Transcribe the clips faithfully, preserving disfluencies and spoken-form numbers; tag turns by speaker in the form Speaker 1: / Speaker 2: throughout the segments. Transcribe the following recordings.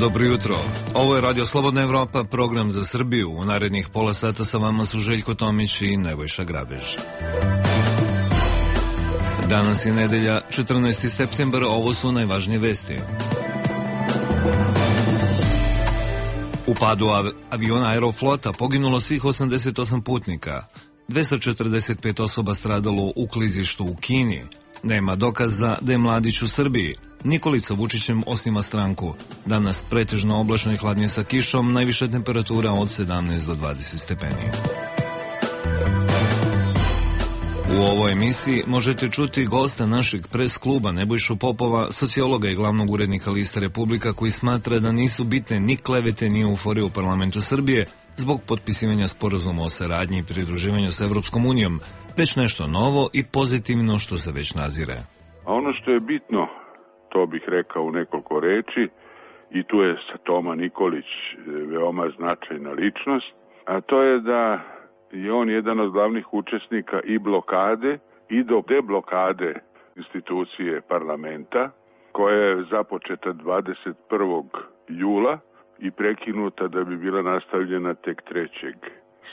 Speaker 1: Dobro jutro. Ovo je Radio Slobodna Evropa, program za Srbiju. U narednih pola sata sa vama su Željko Tomić i Nebojša Grabež. Danas je nedelja, četrnaesti septembar, ovo su najvažnije vesti. U padu av- aviona Aeroflota poginulo svih osamdeset osam putnika. dvesta četrdeset pet osoba stradalo u klizištu u Kini. Nema dokaza da je Mladić u Srbiji. Nikolica Vučićem osniva stranku. Danas pretežno oblačno i hladnije sa kišom, najviša temperatura od sedamnaest do dvadeset stepeni. U ovoj emisiji možete čuti gosta našeg pres kluba Nebojšu Popova, sociologa i glavnog urednika Liste Republika, koji smatra da nisu bitne ni klevete ni euforije u parlamentu Srbije zbog potpisivanja sporazuma o saradnji i pridruživanju sa Evropskom unijom, već nešto novo i pozitivno što se već nazire.
Speaker 2: A ono što je bitno, to bih rekao u nekoliko reči, i tu je Toma Nikolić veoma značajna ličnost, a to je da je on jedan od glavnih učesnika i blokade i do deblokade institucije parlamenta, koja je započeta dvadeset prvog jula i prekinuta da bi bila nastavljena tek trećeg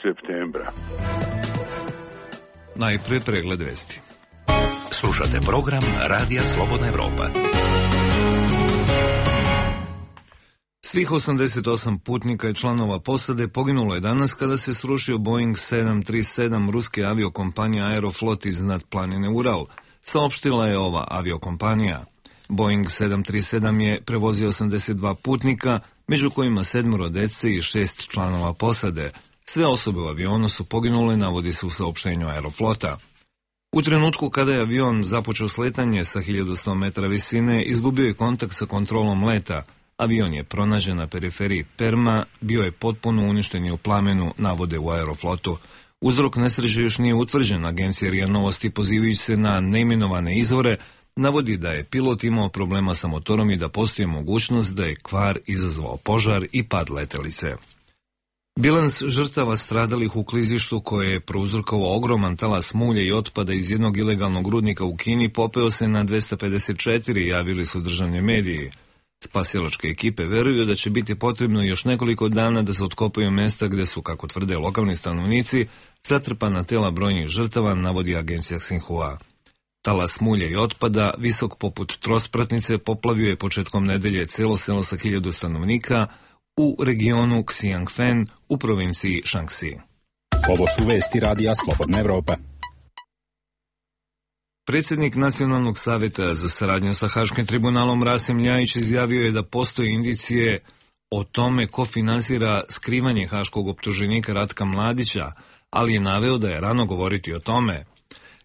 Speaker 2: septembra.
Speaker 1: Najpre pregled vesti.
Speaker 3: Slušate program Radija Slobodna Evropa.
Speaker 1: Svih osamdeset osam putnika i članova posade poginulo je danas kada se srušio Boeing sedam tri sedam ruske aviokompanije Aeroflot iznad planine Ural, saopštila je ova aviokompanija. Boeing sedam tri sedam je prevozio osamdeset dva putnika, među kojima sedmoro dece i šest članova posade. Sve osobe u avionu su poginule, navodi se u saopštenju Aeroflota. U trenutku kada je avion započeo sletanje sa hiljadu sto metara visine, izgubio je kontakt sa kontrolom leta. Avion je pronađen na periferiji Perma, bio je potpuno uništen i u plamenu, navode u Aeroflotu. Uzrok nesreće još nije utvrđen. Agencija R I A Novosti, pozivajući se na neimenovane izvore, navodi da je pilot imao problema sa motorom i da postoji mogućnost da je kvar izazvao požar i pad letelice. Bilans žrtava stradalih u klizištu koje je prouzrokovao ogroman talas mulja i otpada iz jednog ilegalnog rudnika u Kini popeo se na dvesta pedeset četiri, javili su državni mediji. Spasilačke ekipe veruju da će biti potrebno još nekoliko dana da se otkopaju mesta gde su, kako tvrde lokalni stanovnici, zatrpana tela brojnih žrtava, navodi agencija Xinhua. Talas mulja i otpada, visok poput trospratnice, poplavio je početkom nedelje celo selo sa hiljadu stanovnika u regionu Xiangfen u provinciji Shaanxi.
Speaker 4: Ovo su vesti Radija Slobodna Evropa.
Speaker 1: Predsjednik Nacionalnog savjeta za saradnju sa Haškim tribunalom Rasim Ljajić izjavio je da postoje indicije o tome ko finansira skrivanje haškog optuženika Ratka Mladića, ali je naveo da je rano govoriti o tome.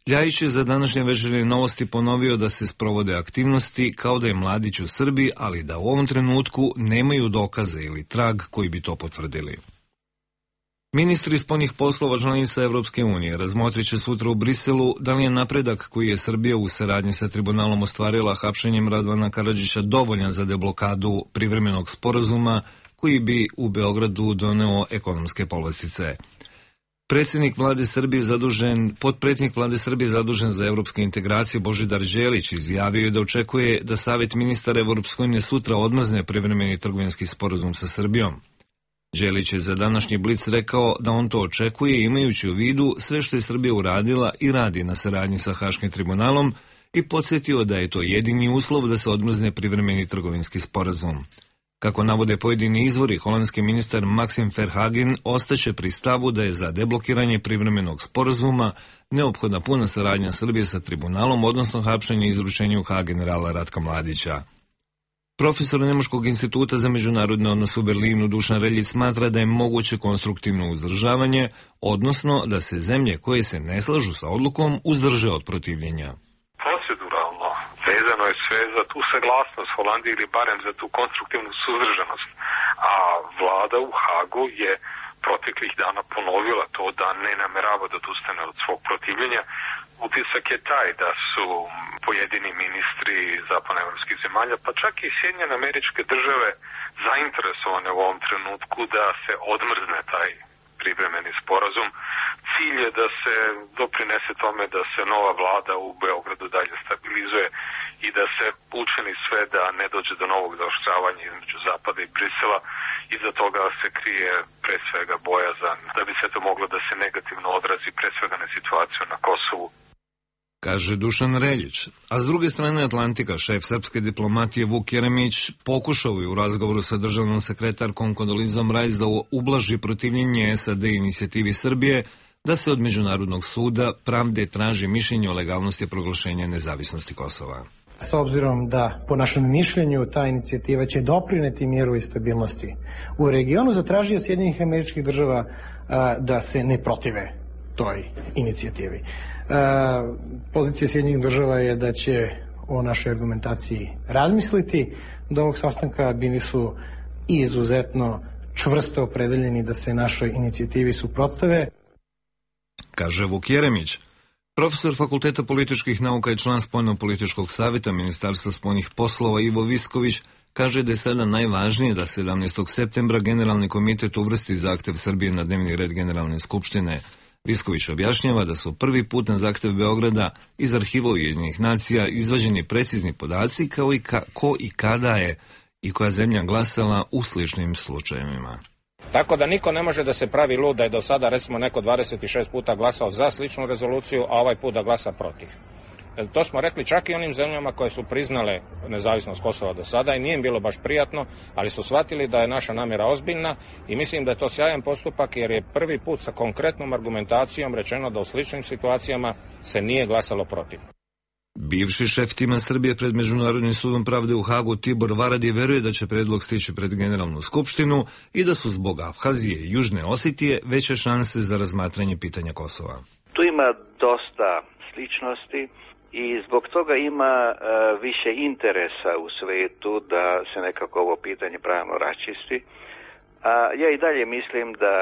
Speaker 1: Ljajić je za današnje Večernje novosti ponovio da se sprovode aktivnosti kao da je Mladić u Srbiji, ali da u ovom trenutku nemaju dokaze ili trag koji bi to potvrdili. Ministri spoljnih poslova članica Evropske unije razmotrit će sutra u Briselu da li je napredak koji je Srbija u saradnji sa tribunalom ostvarila hapšenjem Radovana Karadžića dovoljan za deblokadu privremenog sporazuma koji bi u Beogradu doneo ekonomske povlastice. Predsjednik vlade Srbije zadužen, potpredsjednik vlade Srbije zadužen za evropske integracije Božidar Đelić izjavio je da očekuje da Savjet ministara Evropske unije sutra odmrzne privremeni trgovinski sporazum sa Srbijom. Đelić je za današnji Blic rekao da on to očekuje imajući u vidu sve što je Srbija uradila i radi na saradnji sa Haškim tribunalom i podsjetio da je to jedini uslov da se odmrzne privremeni trgovinski sporazum. Kako navode pojedini izvori, holandski ministar Maxim Verhagen ostaće pri stavu da je za deblokiranje privremenog sporazuma neophodna puna saradnja Srbije sa tribunalom, odnosno hapšenje i izručenje u Hag generala Ratka Mladića. Profesor Nemačkog instituta za međunarodne odnose u Berlinu Dušan Reljić smatra da je moguće konstruktivno uzdržavanje, odnosno da se zemlje koje se ne slažu sa odlukom uzdrže od protivljenja.
Speaker 5: Proceduralno vezano je sve za tu saglasnost Holandije ili barem za tu konstruktivnu suzdržanost, a vlada u Hagu je proteklih dana ponovila to da ne namerava da odustane od svog protivljenja. Utisak je taj da su pojedini ministri zapadnoevropskih zemalja, pa čak i Sjedinjene Američke Države, zainteresovane u ovom trenutku da se odmrzne taj privremeni sporazum. Cilj je da se doprinese tome da se nova vlada u Beogradu dalje stabilizuje i da se učini sve da ne dođe do novog zaoštravanja između Zapada i Brisela. Iza toga se krije pre svega bojazan da bi se to moglo da se negativno odrazi pre svega na situaciju na Kosovu.
Speaker 1: Kaže Dušan Reljić. A s druge strane Atlantika, šef srpske diplomatije Vuk Jeremić pokušao je u razgovoru sa državnom sekretarkom Kondolizom Rajs da ublaži protivljenje S A D inicijativi Srbije da se od Međunarodnog suda pravde traži mišljenje o legalnosti proglašenja nezavisnosti Kosova.
Speaker 6: S obzirom da, po našem mišljenju, ta inicijativa će doprineti miru i stabilnosti u regionu, zatražio Sjedinjenih Američkih Država a, da se ne protive toj inicijativi. A, pozicija Sjedinjenih Država je da će o našoj argumentaciji razmisliti. Do ovog sastanka bili su izuzetno čvrsto opredeljeni da se našoj inicijativi suprotstave.
Speaker 1: Kaže Vuk Jeremić. Profesor Fakulteta političkih nauka i član Spoljno-političkog savjeta Ministarstva spoljnih poslova Ivo Visković kaže da je sada najvažnije da sedamnaestog septembra Generalni komitet uvrsti zahtev Srbije na dnevni red Generalne skupštine. Visković objašnjava da su prvi put na zahtev Beograda iz arhiva Ujedinjenih nacija izvađeni precizni podaci kao i ka, ko i kada je i koja zemlja glasala u sličnim slučajevima.
Speaker 7: Tako da niko ne može da se pravi lud da je do sada recimo neko dvadeset šest puta glasao za sličnu rezoluciju, a ovaj put da glasa protiv. To smo rekli čak i onim zemljama koje su priznale nezavisnost Kosova do sada i nije im bilo baš prijatno, ali su shvatili da je naša namjera ozbiljna i mislim da je to sjajan postupak jer je prvi put sa konkretnom argumentacijom rečeno da u sličnim situacijama se nije glasalo protiv.
Speaker 1: Bivši šef tima Srbije pred Međunarodnim sudom pravde u Hagu Tibor Varadi veruje da će predlog stići pred Generalnu skupštinu i da su zbog Abhazije i Južne Osetije veće šanse za razmatranje pitanja Kosova.
Speaker 8: Tu ima dosta sličnosti i zbog toga ima uh, više interesa u svetu da se nekako ovo pitanje pravno raščisti. A ja i dalje mislim da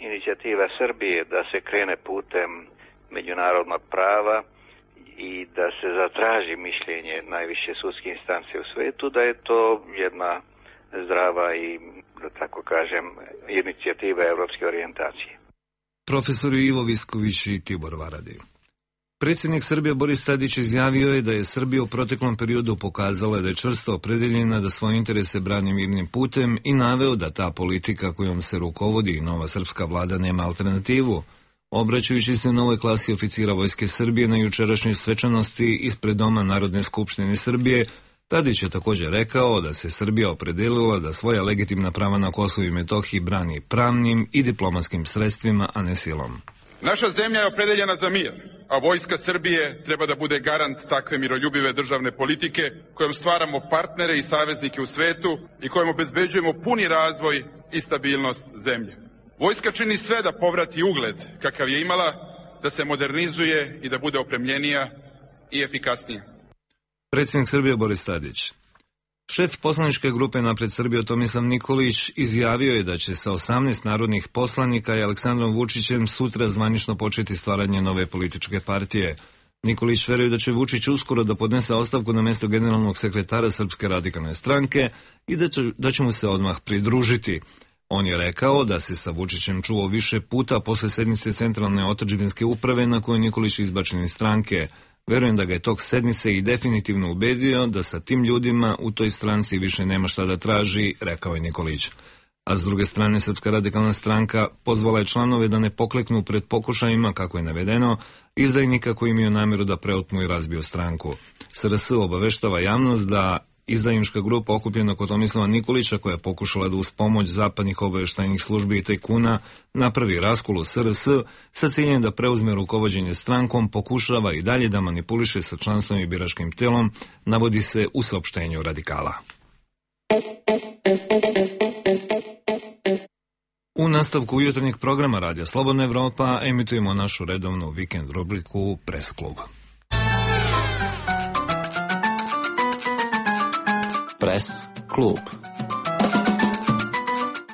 Speaker 8: inicijativa Srbije da se krene putem međunarodnog prava i da se zatraži mišljenje najviše sudske instance u svetu, da je to jedna zdrava i, da tako kažem, inicijativa evropske orijentacije.
Speaker 1: Profesor Ivo Visković i Tibor Varadi. Predsjednik Srbije Boris Tadić izjavio je da je Srbija u proteklom periodu pokazala da je čvrsto opredeljena da svoje interese brani mirnim putem i naveo da ta politika kojom se rukovodi nova srpska vlada nema alternativu. Obraćajući se novoj klasi oficira Vojske Srbije na jučerašnjoj svečanosti ispred Doma Narodne skupštine Srbije, Tadić je također rekao da se Srbija opredelila da svoja legitimna prava na Kosovu i Metohiji brani pravnim i diplomatskim sredstvima, a ne silom.
Speaker 9: Naša zemlja je opredeljena za mir, a Vojska Srbije treba da bude garant takve miroljubive državne politike kojom stvaramo partnere i saveznike u svetu i kojom obezbeđujemo puni razvoj i stabilnost zemlje. Vojska čini sve da povrati ugled kakav je imala, da se modernizuje i da bude opremljenija i efikasnija.
Speaker 1: Predsjednik Srbije Boris Tadić. Šef poslaničke grupe Napred Srbije Tomislav Nikolić izjavio je da će sa osamnaest narodnih poslanika i Aleksandrom Vučićem sutra zvanično početi stvaranje nove političke partije. Nikolić veruje da će Vučić uskoro da podnese ostavku na mjesto generalnog sekretara Srpske radikalne stranke i da će, da će mu se odmah pridružiti. On je rekao da se sa Vučićem čuo više puta posle sednice Centralne otadžbinske uprave na kojoj Nikolić izbačen iz stranke. Verujem da ga je tog sednice i definitivno ubedio da sa tim ljudima u toj stranci više nema šta da traži, rekao je Nikolić. A s druge strane, Srpska radikalna stranka pozvala je članove da ne pokleknu pred pokušajima, kako je navedeno, izdajnika koji imaju namjeru da preotmu i razbiju stranku. S R S obaveštava javnost da izdajnička grupa okupljena kod Tomislava Nikolića, koja je pokušala da uz pomoć zapadnih obavještajnih službi i tajkuna napravi raskol u S R S sa ciljem da preuzme rukovođenje strankom, pokušava i dalje da manipuliše sa članstvom i biračkim telom, navodi se u saopštenju Radikala. U nastavku jutarnjeg programa Radija Slobodna Evropa emitujemo našu redovnu vikend rubriku Press Klub.
Speaker 10: Press Klub.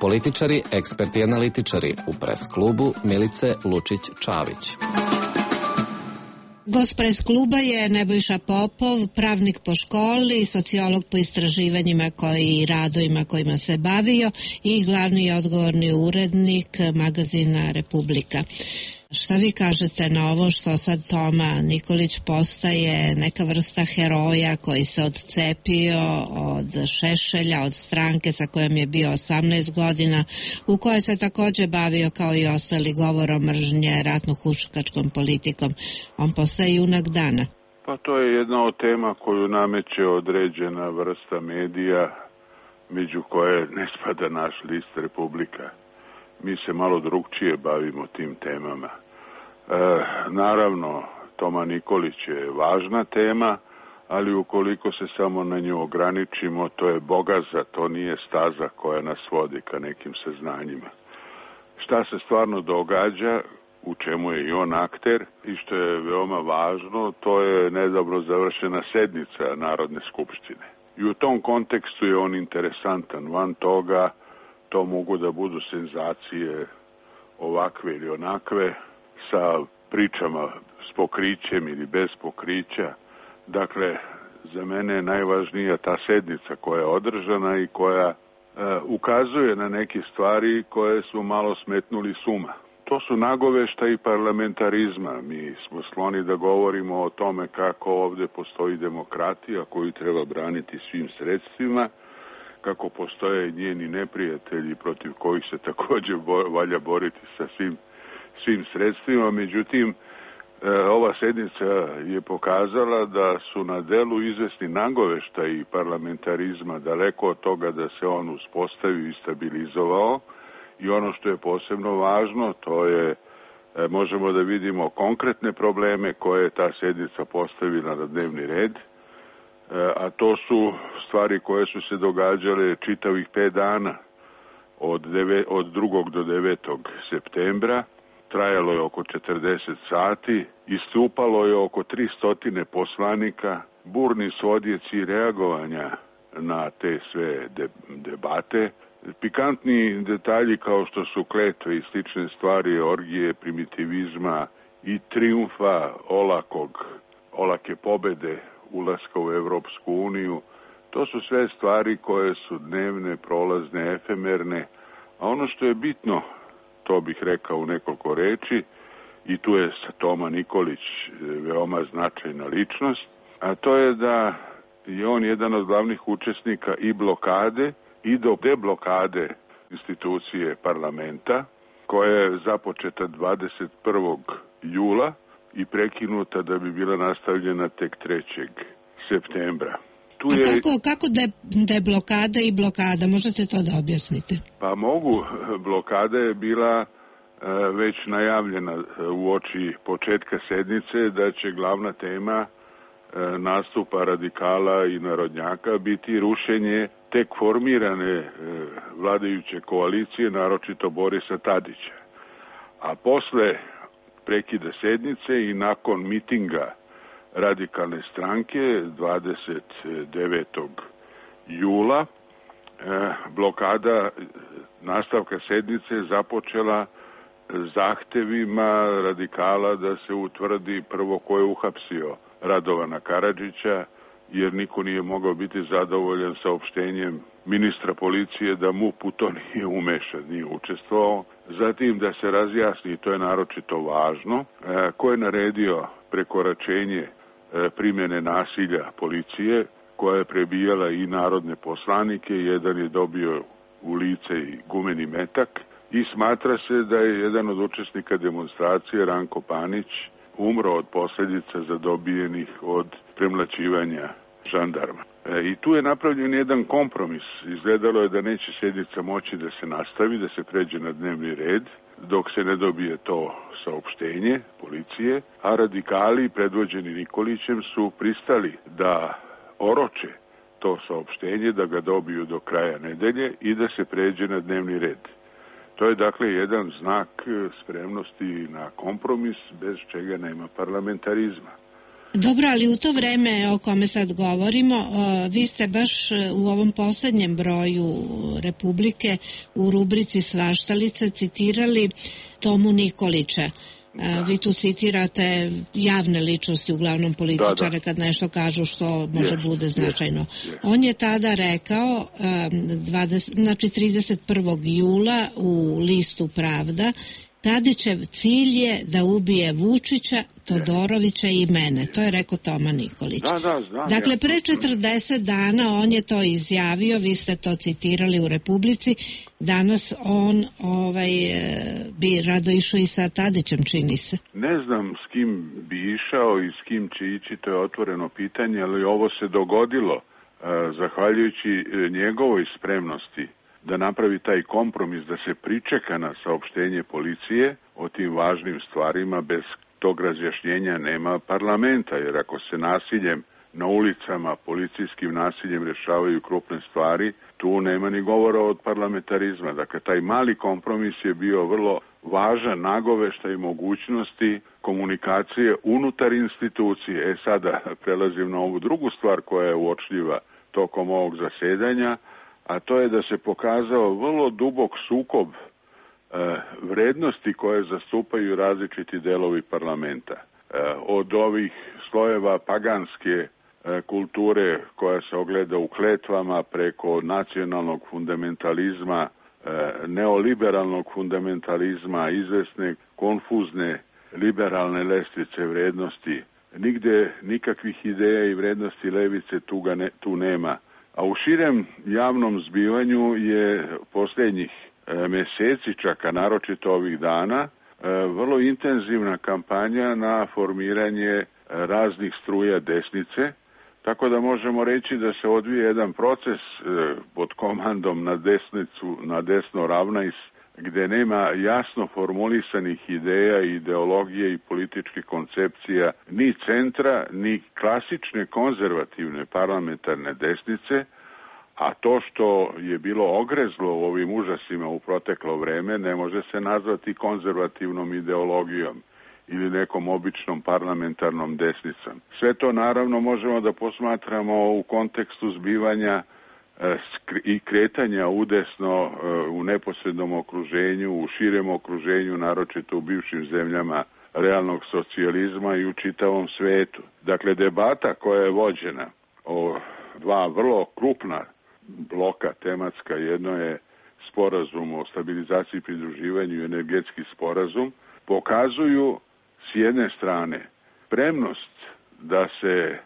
Speaker 10: Političari, eksperti i analitičari u Press Klubu Milice Lučić-Čavić.
Speaker 11: Gost Press Kluba je Nebojša Popov, pravnik po školi, sociolog po istraživanjima koji i radovima kojima se bavio i glavni i odgovorni urednik magazina Republika. Šta vi kažete na ovo što sad Toma Nikolić postaje neka vrsta heroja koji se odcepio od Šešelja, od stranke sa kojom je bio osamnaest godina, u kojoj se takođe bavio kao i ostali govorom mržnje, ratno-huškačkom politikom. On postaje junak dana.
Speaker 2: Pa to je jedna od tema koju nameće određena vrsta medija, među koje ne spada naš list Republika. Mi se malo drugčije bavimo tim temama. E, naravno, Toma Nikolić je važna tema, ali ukoliko se samo na nju ograničimo, to je bogaza, to nije staza koja nas vodi ka nekim saznanjima. Šta se stvarno događa, u čemu je i on akter i što je veoma važno, to je nedavno završena sednica Narodne skupštine. I u tom kontekstu je on interesantan. Van toga, to mogu da budu senzacije ovakve ili onakve, sa pričama s pokrićem ili bez pokrića. Dakle, za mene je najvažnija ta sednica koja je održana i koja e, ukazuje na neke stvari koje su malo smetnuli suma. To su nagoveštaji parlamentarizma. Mi smo skloni da govorimo o tome kako ovde postoji demokratija koju treba braniti svim sredstvima, kako postoje njeni neprijatelji protiv kojih se takođe valja boriti sa svim, svim sredstvima. Međutim, ova sednica je pokazala da su na delu izvesni nagoveštaji parlamentarizma, daleko od toga da se on uspostavio i stabilizovao. I ono što je posebno važno, to je, možemo da vidimo konkretne probleme koje je ta sednica postavila na dnevni red, a to su stvari koje su se događale čitavih pet dana, od, deve, od drugog do devetog septembra. Trajalo je oko četrdeset sati, istupalo je oko tristo poslanika, burni su odjeci reagovanja na te sve debate. Pikantni detalji kao što su kletve i slične stvari, orgije, primitivizma i triumfa olakog, olake pobede ulaska u Evropsku uniju, to su sve stvari koje su dnevne, prolazne, efemerne, a ono što je bitno, to bih rekao u nekoliko reči, i tu je Toma Nikolić veoma značajna ličnost, a to je da je on jedan od glavnih učesnika i blokade i do deblokade institucije parlamenta, koja je započeta dvadeset prvog jula i prekinuta da bi bila nastavljena tek trećeg septembra. Tu je...
Speaker 11: A kako, kako de, deblokada i blokada? Možete to da objasnite?
Speaker 2: Pa mogu. Blokada je bila već najavljena u oči početka sednice da će glavna tema nastupa radikala i narodnjaka biti rušenje tek formirane vladajuće koalicije, naročito Borisa Tadića. A posle prekida sednice i nakon mitinga radikalne stranke dvadeset devetog jula blokada nastavka sednice započela zahtevima radikala da se utvrdi prvo ko je uhapsio Radovana Karadžića, jer niko nije mogao biti zadovoljan saopštenjem ministra policije da M U P u to nije umešan, nije učestvovao. Zatim da se razjasni, to je naročito važno, ko je naredio prekoračenje primjene nasilja policije, koja je prebijala i narodne poslanike, jedan je dobio u lice i gumeni metak, i smatra se da je jedan od učesnika demonstracije, Ranko Panić, umro od posljedica zadobijenih od premlaćivanja žandarma. E, I tu je napravljen jedan kompromis. Izgledalo je da neće sednica moći da se nastavi, da se pređe na dnevni red, dok se ne dobije to saopštenje policije, a radikali predvođeni Nikolićem su pristali da oroče to saopštenje, da ga dobiju do kraja nedelje i da se pređe na dnevni red. To je dakle jedan znak spremnosti na kompromis, bez čega nema parlamentarizma.
Speaker 11: Dobro, ali u to vreme o kome sad govorimo, vi ste baš u ovom poslednjem broju Republike u rubrici Svaštalica citirali Tomu Nikolića. Da. Vi tu citirate javne ličnosti, uglavnom političare, da, da. Kad nešto kažu što može yes, bude značajno. Yes, yes. On je tada rekao, dvadeset, znači trideset prvog jula u listu Pravda, Tadićev cilj je da ubije Vučića, Todorovića i mene. To je rekao Toma Nikolić.
Speaker 2: Da, da, znam.
Speaker 11: Dakle,
Speaker 2: ja.
Speaker 11: pre četrdeset dana on je to izjavio, vi ste to citirali u Republici. Danas on ovaj, bi rado išao i sa Tadićem, čini se.
Speaker 2: Ne znam s kim bi išao i s kim će ići, to je otvoreno pitanje, ali ovo se dogodilo zahvaljujući njegovoj spremnosti da napravi taj kompromis, da se pričeka na saopštenje policije o tim važnim stvarima. Bez tog razjašnjenja nema parlamenta, jer ako se nasiljem na ulicama, policijskim nasiljem rješavaju krupne stvari, tu nema ni govora od parlamentarizma. Dakle, taj mali kompromis je bio vrlo važan nagoveštaj i mogućnosti komunikacije unutar institucije. E sada prelazim na ovu drugu stvar koja je uočljiva tokom ovog zasedanja, a to je da se pokazao vrlo dubok sukob e, vrednosti koje zastupaju različiti delovi parlamenta. E, od ovih slojeva paganske e, kulture koja se ogleda u kletvama preko nacionalnog fundamentalizma, e, neoliberalnog fundamentalizma, izvesne konfuzne liberalne lestvice vrednosti. Nigde nikakvih ideja i vrednosti levice tu, ga ne, tu nema. A u širem javnom zbivanju je posljednjih e, meseci, čak a naročito ovih dana, e, vrlo intenzivna kampanja na formiranje e, raznih struja desnice, tako da možemo reći da se odvije jedan proces e, pod komandom na desnicu, na desno ravnajs, gde nema jasno formulisanih ideja, ideologije i političkih koncepcija ni centra, ni klasične konzervativne parlamentarne desnice, a to što je bilo ogrezlo u ovim užasima u proteklo vreme ne može se nazvati konzervativnom ideologijom ili nekom običnom parlamentarnom desnicom. Sve to naravno možemo da posmatramo u kontekstu zbivanja i kretanja udesno u neposrednom okruženju, u širem okruženju, naročito u bivšim zemljama realnog socijalizma i u čitavom svetu. Dakle, debata koja je vođena o dva vrlo krupna bloka tematska, jedno je sporazum o stabilizaciji i pridruživanju i energetski sporazum, pokazuju s jedne strane spremnost da se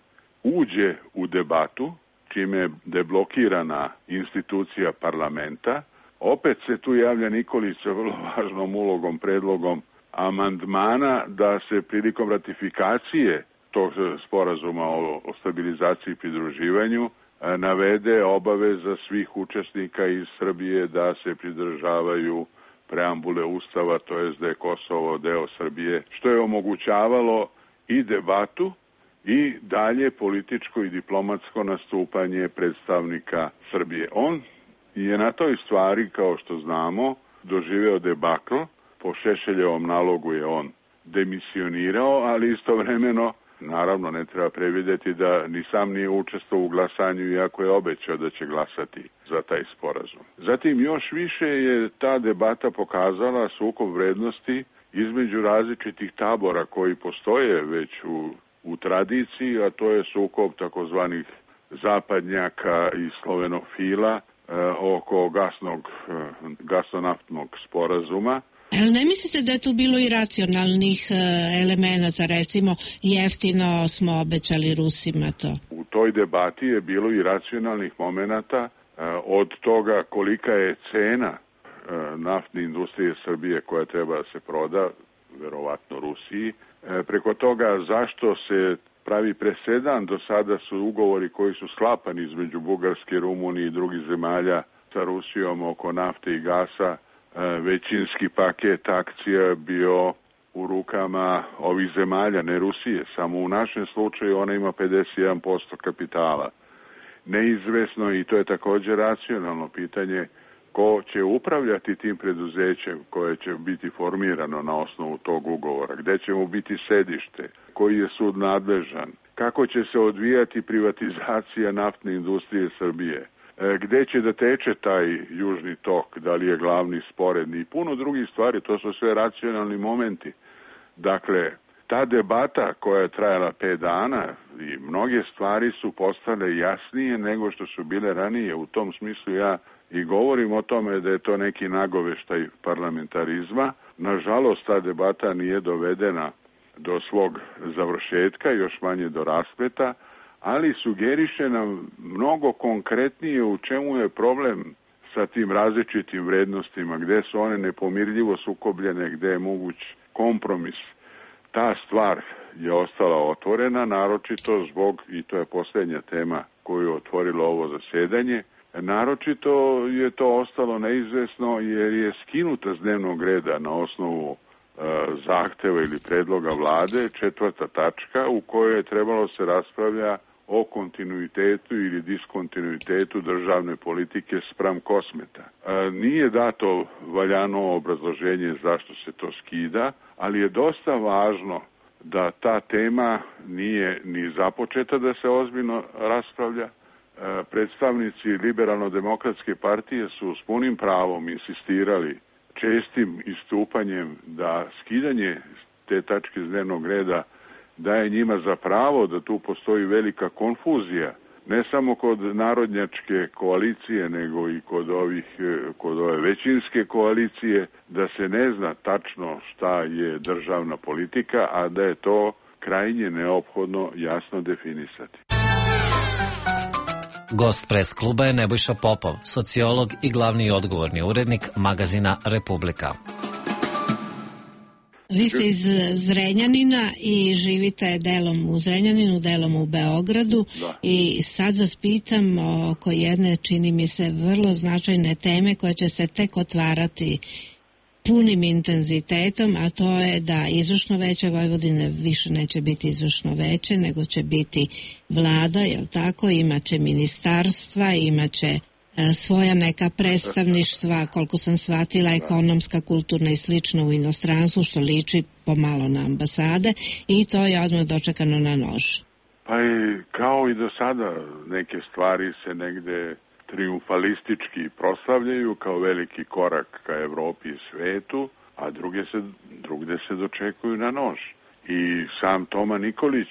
Speaker 2: uđe u debatu, čime je deblokirana institucija parlamenta. Opet se tu javlja Nikolić sa vrlo važnom ulogom, predlogom amandmana da se prilikom ratifikacije tog sporazuma o, o stabilizaciji i pridruživanju navede obaveza svih učesnika iz Srbije da se pridržavaju preambule Ustava, to jest da je Kosovo deo Srbije, što je omogućavalo i debatu i dalje političko i diplomatsko nastupanje predstavnika Srbije. On je na toj stvari, kao što znamo, doživeo debakl. Po Šešeljevom nalogu je on demisionirao, ali istovremeno, naravno, ne treba prevideti da ni sam nije učestvovao u glasanju, iako je obećao da će glasati za taj sporazum. Zatim, još više je ta debata pokazala sukob vrednosti između različitih tabora koji postoje već u u tradiciji, a to je sukob takozvanih zapadnjaka i slovenofila e, oko gasnog, e, gasonaftnog sporazuma.
Speaker 11: Ali ne mislite da je tu bilo i racionalnih e, elemenata, recimo jeftino smo obećali Rusima to?
Speaker 2: U toj debati je bilo i racionalnih momenata, e, od toga kolika je cena e, naftne industrije Srbije koja treba da se proda, verovatno Rusiji, preko toga zašto se pravi presedan. Do sada su ugovori koji su sklapani između Bugarske, Rumunije i drugih zemalja sa Rusijom oko nafte i gasa, većinski paket akcija bio u rukama ovih zemalja, ne Rusije. Samo u našem slučaju ona ima pedeset jedan posto kapitala. Neizvesno, i to je također racionalno pitanje, ko će upravljati tim preduzećem koje će biti formirano na osnovu tog ugovora, gde će mu biti sedište, koji je sud nadležan, kako će se odvijati privatizacija naftne industrije Srbije, gde će da teče taj južni tok, da li je glavni, sporedni i puno drugih stvari, to su sve racionalni momenti. Dakle, ta debata koja je trajala pet dana i mnoge stvari su postale jasnije nego što su bile ranije. U tom smislu ja i govorim o tome da je to neki nagoveštaj parlamentarizma, Nažalost, ta debata nije dovedena do svog završetka, još manje do raspleta, ali sugeriše nam mnogo konkretnije u čemu je problem sa tim različitim vrednostima, gde su one nepomirljivo sukobljene, gde je moguć kompromis. Ta stvar je ostala otvorena, naročito zbog, i to je posljednja tema koju je otvorilo ovo zasedanje, naročito je to ostalo neizvesno jer je skinuta s dnevnog reda na osnovu e, zahteva ili predloga vlade četvrta tačka u kojoj je trebalo se raspravlja o kontinuitetu ili diskontinuitetu državne politike spram Kosmeta. E, nije dato valjano obrazloženje zašto se to skida, ali je dosta važno da ta tema nije ni započeta da se ozbiljno raspravlja. E, predstavnici Liberalno-demokratske partije su s punim pravom insistirali čestim istupanjem da skidanje te tačke s dnevnog reda daje njima za pravo da tu postoji velika konfuzija, ne samo kod narodnjačke koalicije, nego i kod ovih, kod ove većinske koalicije, da se ne zna tačno šta je državna politika, a da je to krajnje neophodno jasno definisati.
Speaker 12: Gost pres kluba je Nebojša Popov, sociolog i glavni i odgovorni urednik magazina Republika.
Speaker 11: Vi ste iz Zrenjanina i živite delom u Zrenjaninu, delom u Beogradu. Da. I sad vas pitam oko jedne, čini mi se, vrlo značajne teme koja će se tek otvarati punim intenzitetom, a to je da izvršno veće Vojvodine više neće biti izvršno veće, nego će biti vlada, jel tako? Imaće ministarstva, imaće svoja neka predstavništva, koliko sam shvatila, ekonomska, kulturna i slično u inostranstvu, što liči pomalo na ambasade, i to je odmah dočekano na nož.
Speaker 2: Pa i kao i do sada, neke stvari se negde triumfalistički proslavljaju kao veliki korak ka Evropi i svetu, a druge se, drugde se dočekuju na nož. I sam Toma Nikolić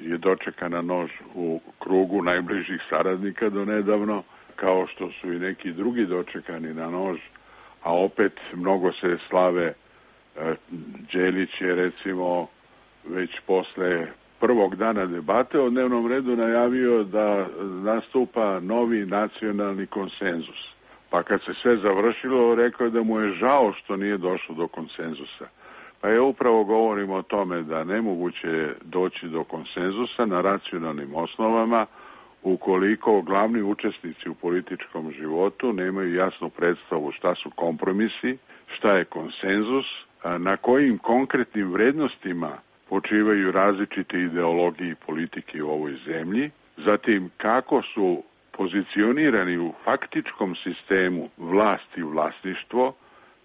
Speaker 2: je dočekan na nož u krugu najbližih saradnika do nedavno, kao što su i neki drugi dočekani na nož, a opet mnogo se slave. Đelić je recimo već posle prvog dana debate o dnevnom redu najavio da nastupa novi nacionalni konsenzus. Pa kad se sve završilo, rekao je da mu je žao što nije došlo do konsenzusa. Pa ja upravo govorim o tome da nemoguće doći do konsenzusa na racionalnim osnovama ukoliko glavni učesnici u političkom životu nemaju jasnu predstavu šta su kompromisi, šta je konsenzus, na kojim konkretnim vrednostima počivaju različite ideologije i politike u ovoj zemlji, zatim kako su pozicionirani u faktičkom sistemu vlast i vlasništvo,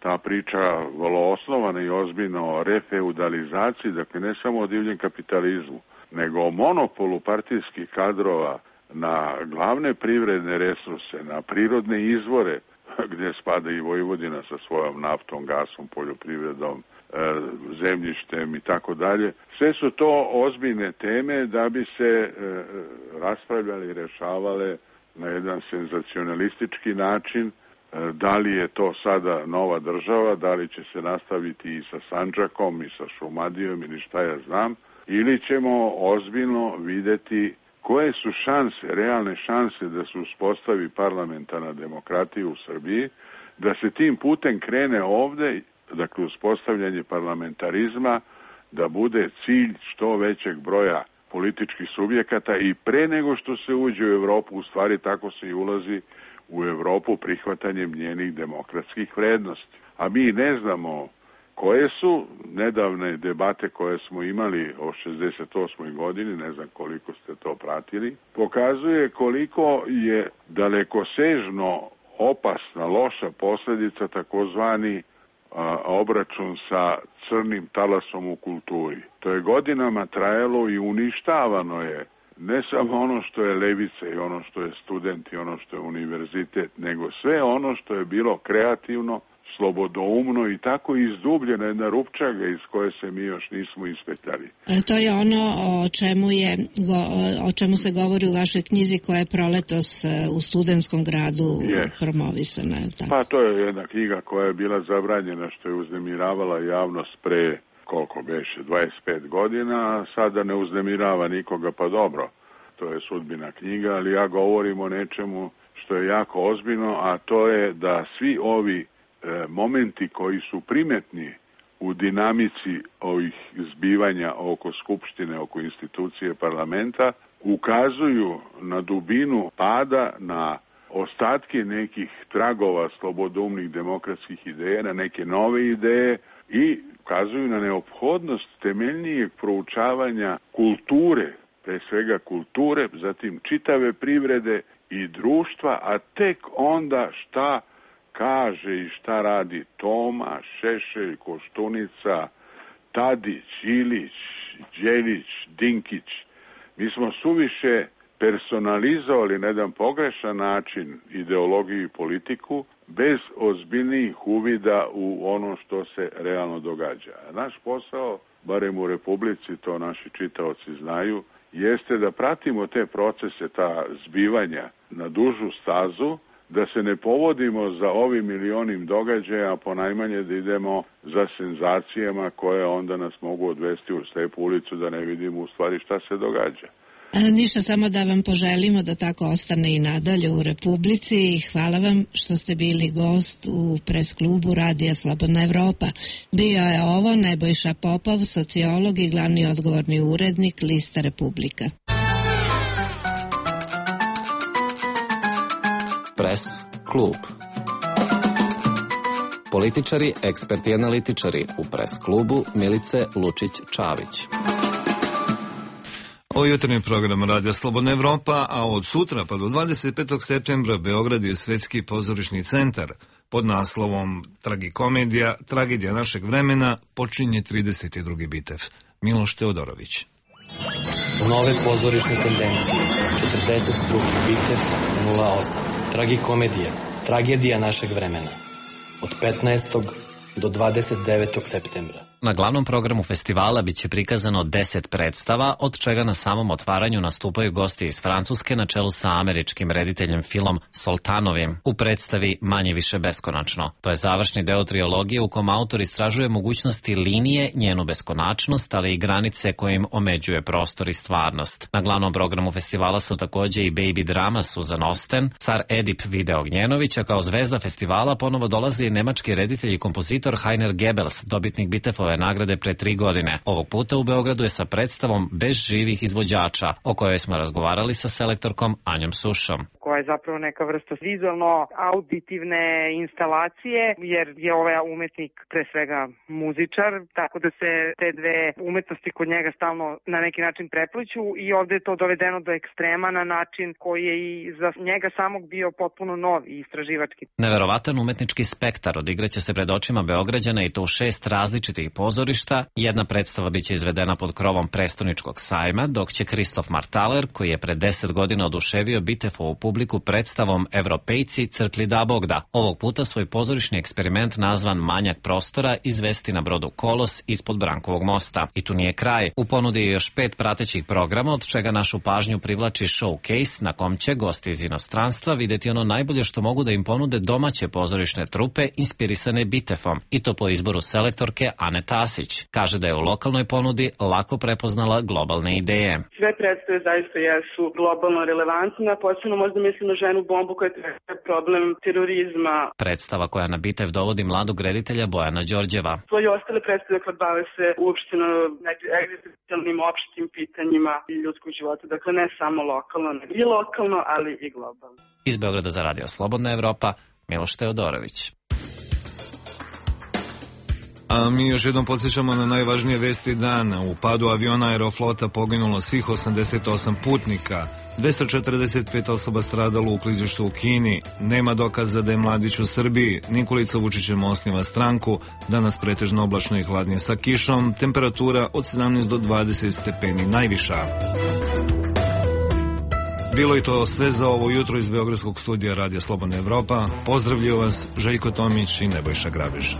Speaker 2: ta priča vrlo osnovana i ozbiljno o refeudalizaciji, dakle ne samo o divljem kapitalizmu, nego o monopolu partijskih kadrova na glavne privredne resurse, na prirodne izvore, gdje spada i Vojvodina sa svojom naftom, gasom, poljoprivredom, zemljištem i tako dalje. Sve su to ozbiljne teme da bi se raspravljali i rešavale na jedan senzacionalistički način. Da li je to sada nova država, da li će se nastaviti i sa Sandžakom i sa Šumadijom ili šta ja znam, ili ćemo ozbiljno videti koje su šanse, realne šanse da se uspostavi parlamentarna demokratija u Srbiji, da se tim putem krene ovde, dakle uspostavljanje parlamentarizma, da bude cilj što većeg broja političkih subjekata i pre nego što se uđe u Evropu, u stvari tako se i ulazi u Evropu prihvatanjem njenih demokratskih vrednosti. A mi ne znamo koje su nedavne debate koje smo imali o šezdeset osmoj godini, ne znam koliko ste to pratili, pokazuje koliko je dalekosežno opasna, loša posljedica takozvani a, obračun sa crnim talasom u kulturi. To je godinama trajalo i uništavano je ne samo ono što je levica i ono što je student i ono što je univerzitet, nego sve ono što je bilo kreativno, slobodoumno i tako izdubljena jedna rupčaga iz koje se mi još nismo ispetali.
Speaker 11: E, to je ono o čemu, je, o čemu se govori u vašoj knjizi koja je proletos u Studentskom gradu yes. promovisana. Je tako?
Speaker 2: Pa to je jedna knjiga koja je bila zabranjena, što je uznemiravala javnost pre koliko beše, dvadeset pet godina, a sada ne uznemirava nikoga, pa dobro, to je sudbina knjiga, ali ja govorim o nečemu što je jako ozbiljno, a to je da svi ovi e, momenti koji su primetni u dinamici ovih zbivanja oko Skupštine, oko institucije parlamenta, ukazuju na dubinu pada, na ostatke nekih tragova slobodoumnih demokratskih ideja, na neke nove ideje i ukazuju na neophodnost temeljnijeg proučavanja kulture, pre svega kulture, zatim čitave privrede i društva, a tek onda šta kaže i šta radi Toma, Šešelj, Koštunica, Tadić, Ilić, Đelić, Dinkić. Mi smo suviše personalizovali na jedan pogrešan način ideologiju i politiku bez ozbiljnijih uvida u ono što se realno događa. Naš posao, barem u Republici, to naši čitaoci znaju, jeste da pratimo te procese, ta zbivanja na dužu stazu, da se ne povodimo za ovim ili onim događaja, a ponajmanje da idemo za senzacijama koje onda nas mogu odvesti u slepu ulicu da ne vidimo u stvari šta se događa.
Speaker 11: Ništa, samo da vam poželimo da tako ostane i nadalje u Republici i hvala vam što ste bili gost u pres klubu Radija Slobodna Evropa. Bio je ovo Nebojša Popov, sociolog i glavni odgovorni urednik Lista Republika.
Speaker 10: Pres klub. Političari, eksperti i analitičari u pres klubu Milice Lučić-Čavić.
Speaker 1: Ovo je jutarnji program Radija Slobodna Evropa, a od sutra pa do dvadeset petog septembra Beograd je Svetski pozorišni centar. Pod naslovom Tragikomedija, tragedija našeg vremena, počinje trideset drugi bitev. Miloš Teodorović.
Speaker 13: Nove pozorišne tendencije. četrdeset drugi bitev nula osam. Tragikomedija, tragedija našeg vremena. Od petnaestog do dvadeset devetog septembra.
Speaker 12: Na glavnom programu festivala biće prikazano deset predstava, od čega na samom otvaranju nastupaju gosti iz Francuske na čelu sa američkim rediteljem Philom Soltanovim u predstavi Manje više beskonačno. To je završni deo trilogije u kom autor istražuje mogućnosti linije, njenu beskonačnost, ali i granice koje im omeđuje prostor i stvarnost. Na glavnom programu festivala su takođe i baby drama Susan Osten, car Edip Vide Ognjenović, a kao zvezda festivala ponovo dolazi i nemački reditelj i kompozitor Heiner Goebbels, dobitnik Bitefove nagrade pre tri godine. Ovog puta u Beogradu je sa predstavom Bez živih izvođača, o kojoj smo razgovarali sa selektorkom Anjom Sušom.
Speaker 14: Koja je zapravo neka vrsta vizualno-auditivne instalacije, jer je ovaj umetnik pre svega muzičar, tako da se te dve umetnosti kod njega stalno na neki način prepliću i ovde je to dovedeno do ekstrema na način koji je i za njega samog bio potpuno nov i istraživački.
Speaker 12: Neverovatan umetnički spektar odigraće se pred očima Beograđana i to u šest različitih pozorišta. Jedna predstava biće izvedena pod krovom prestoničkog sajma, dok će Kristof Martaler, koji je pre deset godina oduševio Bitefovu publiku predstavom Evropejci crkli da Bogda. Ovog puta svoj pozorišni eksperiment nazvan Manjak prostora izvesti na brodu Kolos ispod Brankovog mosta. I tu nije kraj. U ponudi je još pet pratećih programa, od čega našu pažnju privlači showcase na kom će gosti iz inostranstva videti ono najbolje što mogu da im ponude domaće pozorišne trupe inspirisane Bitefom. I to po izboru selektorke Ane Tasić. Kaže da je u lokalnoj ponudi lako prepoznala globalne ideje.
Speaker 15: Sve predstave zaista jesu globalno relevantne, posebno možda mislim na ženu bombu koja je problem terorizma.
Speaker 12: Predstava koja na Bitev dovodi mladog reditelja Bojana Đorđeva.
Speaker 15: Svoje ostale predstave kad bave se uopšteno egzistencijalnim opštim pitanjima i ljudskog života. Dakle, ne samo lokalno, ne i lokalno, ali i globalno.
Speaker 12: Iz Beograda za Radio Slobodna Evropa, Miloš Teodorović.
Speaker 1: A mi još jednom podsjećamo na najvažnije vesti dana. U padu aviona Aeroflota poginulo svih osamdeset osam putnika, dvesta četrdeset pet osoba stradalo u klizištu u Kini, nema dokaza da je mladić u Srbiji, Nikolica Vučićem osniva stranku, danas pretežno oblačno i hladnije sa kišom, temperatura od sedamnaest do dvadeset stepeni najviša. Bilo je to sve za ovo jutro iz Beogradskog studija Radija Slobodna Evropa. Pozdravljaju vas Željko Tomić i Nebojša Grabež.